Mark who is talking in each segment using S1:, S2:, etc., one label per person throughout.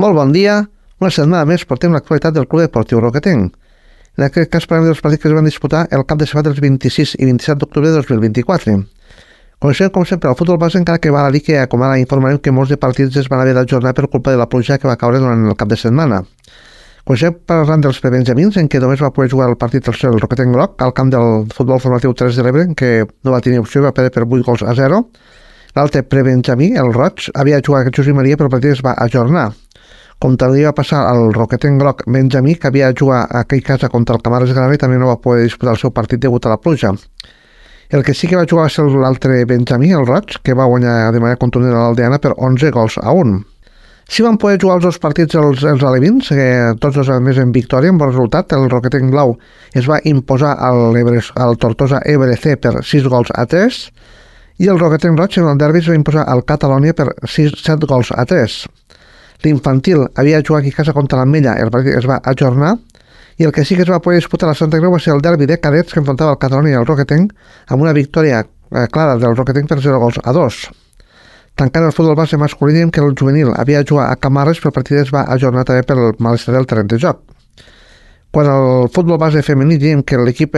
S1: Molt bon dia. Una setmana més portem l'actualitat del Club Deportiu Roquetenc. En aquest cas parlem dels partits que es van disputar el cap de setmana dels 26 i 27 d'octubre de 2024. Coneixem, com sempre, el futbol base, encara que val a dir que, com ara informarem, que molts de partits es van haver d'ajornar per culpa de la pluja que va caure durant el cap de setmana. Coneixem parlant dels prebenjamins, en què només va poder jugar el partit el Roquetenc Groc al camp del futbol formatiu 3 de l'Ebre, que no va tenir opció i va perdre per 8-0. L'altre prebenjamí, el Roig, havia jugat a Josep Maria, però el partit es va ajornar. Com també va passar al Roquetenc Groc Benjamí, que havia jugat a aquell casa contra el Camares Granada i també no va poder disputar el seu partit degut a la pluja. El que sí que va jugar va ser l'altre Benjamí, el Roig, que va guanyar de manera contundent a l'Aldeana per 11-1. Sí van poder jugar els dos partits els alevins, tots dos a més en victòria, amb bon resultat. El Roquetenc Blau es va imposar al Tortosa Ebre C per 6-3 i el Roquetenc Roig en el derbi es va imposar al Catalònia per 7-3. L'infantil havia jugat aquí a casa contra l'Ametlla, el partit es va ajornar, i el que sí que es va poder disputar a la Santa Creu va ser el derbi de cadets que enfrontava el Catalònia i el Roquetenc amb una victòria clara del Roquetenc per 0-2. Tancant el futbol base masculí, diem que el juvenil havia jugat a Camarles, però el partit es va ajornar també pel malestar del terreny de joc. Quan el futbol base femení, diem que l'equip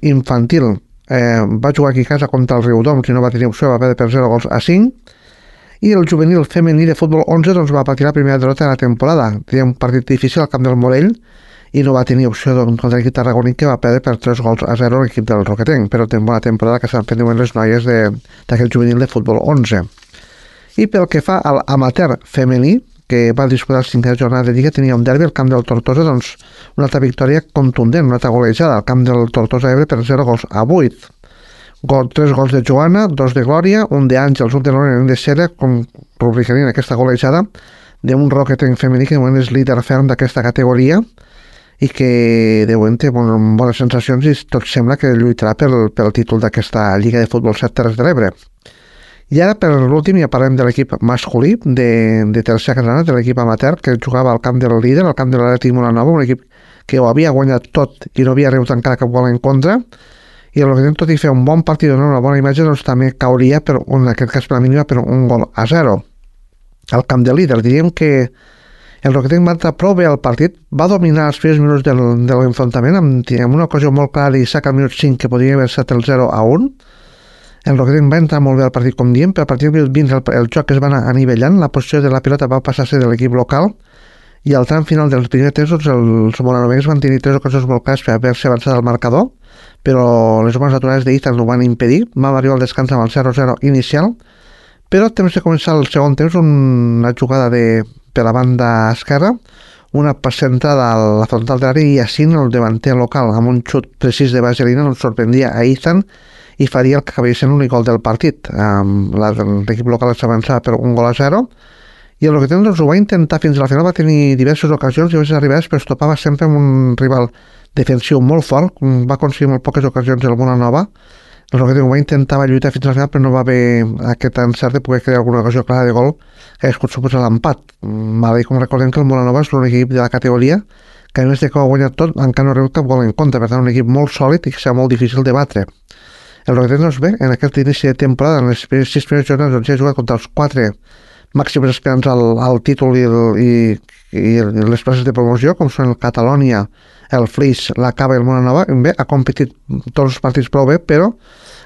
S1: infantil va jugar aquí a casa contra el Riudoms i no va tenir opció, va perdre per 0-5, i el juvenil femení de futbol 11 doncs, va patir la primera derrota de la temporada. Tenia un partit difícil al camp del Morell i no va tenir opció contra l'equip tarragoní, que va perdre per 3-0 l'equip del Roquetenc, però té bona temporada que s'han fet de moment les noies d'aquell juvenil de futbol 11. I pel que fa a l'amateur femení, que va disputar la 5a jornada de Lliga, tenia un derbi al camp del Tortosa, doncs una altra victòria contundent, una altra golejada al camp del Tortosa Ebre per 0-8. 3 gols de Joana, 2 de Glòria, un d'Àngels, un de Lorena i un de Cera, com rubricarien aquesta golejada d'un Roquetenc femení que de moment és líder ferm d'aquesta categoria i que de moment té bones sensacions i tot sembla que lluitarà pel títol d'aquesta Lliga de Futbol 7 Terres de l'Ebre. I ara, per l'últim, ja parlem de l'equip masculí de tercera catalana, de l'equip amateur, que jugava al camp del líder, al camp de l'Atlètic Molanova, un equip que ho havia guanyat tot i no havia rebut encara cap gol en contra, i el Roquetenc, tot i fer un bon partit o no, una bona imatge, doncs també cauria, en aquest cas per la mínima, per 1-0. Al camp del líder, diríem que el Roquetenc va entrar prou bé al partit, va dominar els primers minuts de l'enfrontament, amb una ocasió molt clara d'Isaac al minut 5, que podria haver estat el 0-1. El Roquetenc va entrar molt bé al partit, com diem, però a partir del minut 20 el joc es va anar anivellant, la posició de la pilota va passar a ser de l'equip local, i al tram final dels primers temps els molanovencs van tenir 3 ocasions molt clares per haver-se avançat al marcador, però les bones aturades d'Ethan ho van impedir. Vam arribar al descans amb el 0-0 inicial, però temps de començar el segon temps, una jugada per la banda esquerra, una centrada a la frontal de l'àrea, i així el davanter local, amb un xut precís de vaselina, ens sorprendia a Ethan i faria el que acabaria sent l'únic gol del partit. L'equip local s'avançava per 1-0, i el Roquetenc ho va intentar fins a la final, va tenir diverses ocasions i a vegades arribades, però es topava sempre amb un rival defensiu molt fort, va aconseguir molt poques ocasions el Molanova. El Roquetenc ho va intentar, va lluitar fins a la final, però no va haver aquest encert de poder crear alguna ocasió clara de gol que hagués suposat l'empat. Mal com recordem que el Molanova és l'únic equip de la categoria que a més de que ho ha guanyat tot, encara no ha rebut cap gol en contra, per tant un equip molt sòlid i que serà molt difícil de batre. El Roquetenc, doncs bé, en aquest inici de temporada, en les 6 primeres jornades, doncs ja ha jugat contra els 4 màxims aspirants al títol i les places de promoció, com són el Catalònia, el Flix, la Cava i el Molanova. Bé, ha competit tots els partits prou bé, però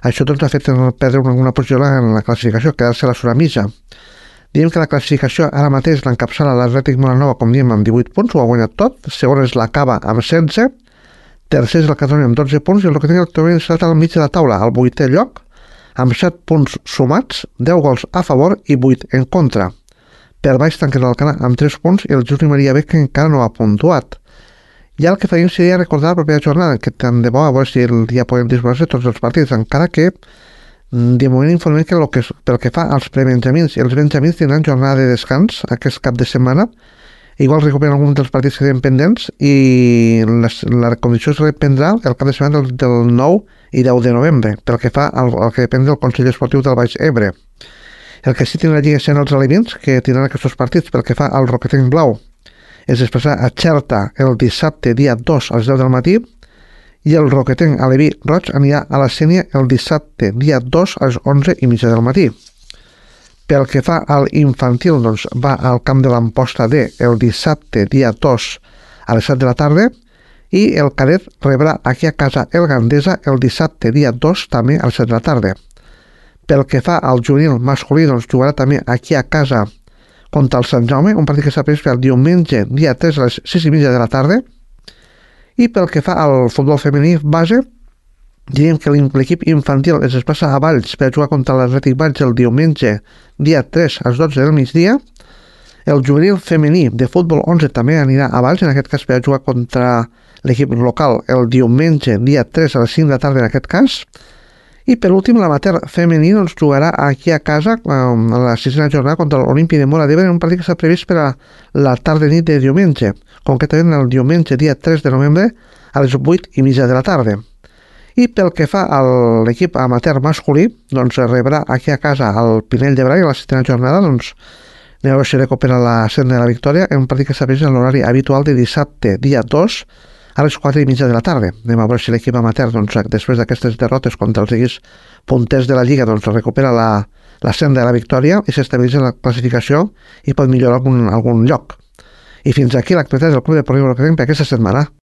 S1: això doncs ha fet perdre una posició en la classificació, quedar-se a la zona mitja. Diem que la classificació ara mateix l'encapçala l'Atlètic Molanova, com diem, amb 18 punts, ho ha guanyat tot. Segon és la Cava amb 16, tercer és el Catalònia amb 12 punts, i el Roquetenc actualment està al mig de la taula, al 8è lloc, amb 7 punts sumats, 10 gols a favor i 8 en contra. Per baix tanquen l'Alcanar amb 3 punts i el Josep Maria B, que encara no ha puntuat. Ja el que faríem seria recordar la propera jornada, que tant de bo, a veure si el dia podem disposar de tots els partits, encara que de moment informem que pel que fa als prebenjamins i els benjamins tindran jornada de descans aquest cap de setmana. Igual recuperen alguns dels partits que tenen pendents i la condició es reprendrà el cap de setmana del 9 i 10 de novembre, pel que fa al que depèn del Consell Esportiu del Baix Ebre. El que sí tindrà lliga sent els alevins, que tindran aquests partits. Pel que fa al Roquetenc Blau, es desplaçarà a Xerta el dissabte dia 2 a les 10 del matí, i el Roquetenc Aleví Roig anirà a la Sénia el dissabte dia 2 a les 11:30 del matí. Pel que fa al infantil, doncs va al camp de l'Amposta D el dissabte, dia 2, a les 7 de la tarda, i el cadet rebrà aquí a casa el Gandesa el dissabte, dia 2, també a les 7 de la tarda. Pel que fa al juvenil masculí, doncs jugarà també aquí a casa contra el Sant Jaume, un partit que s'ha previst per el diumenge, dia 3 a les 6:30 de la tarda. I pel que fa al futbol femení base, diríem que l'equip infantil es desplaça a Valls per jugar contra l'Atlètic Valls el diumenge, dia 3 a les 12 del migdia. El juvenil femení de futbol 11 també anirà a Valls, en aquest cas per jugar contra l'equip local el diumenge, dia 3 a les 5 de la tarda en aquest cas. I per últim, l'amateur femení doncs, jugarà aquí a casa a la 6a jornada contra l'Olímpic de Móra d'Ebre en un partit que s'ha previst per a la tarda-nit de diumenge, concretament el diumenge, dia 3 de novembre, a les 8:30 de la tarda. I pel que fa a l'equip amateur masculí, doncs rebrà aquí a casa el Pinell de Brai a la 6a jornada, doncs anem a veure si recupera la senda de la victòria en un partit que s'ha previst en l'horari habitual de dissabte, dia 2, a les 4:30 de la tarda. Anem a veure si l'equip amateur, doncs, després d'aquestes derrotes contra els equips punters de la Lliga, doncs, recupera la senda de la victòria i s'estabilitza la classificació i pot millorar algun lloc. I fins aquí l'actualitat del Club Deportiu Rocatenc per aquesta setmana.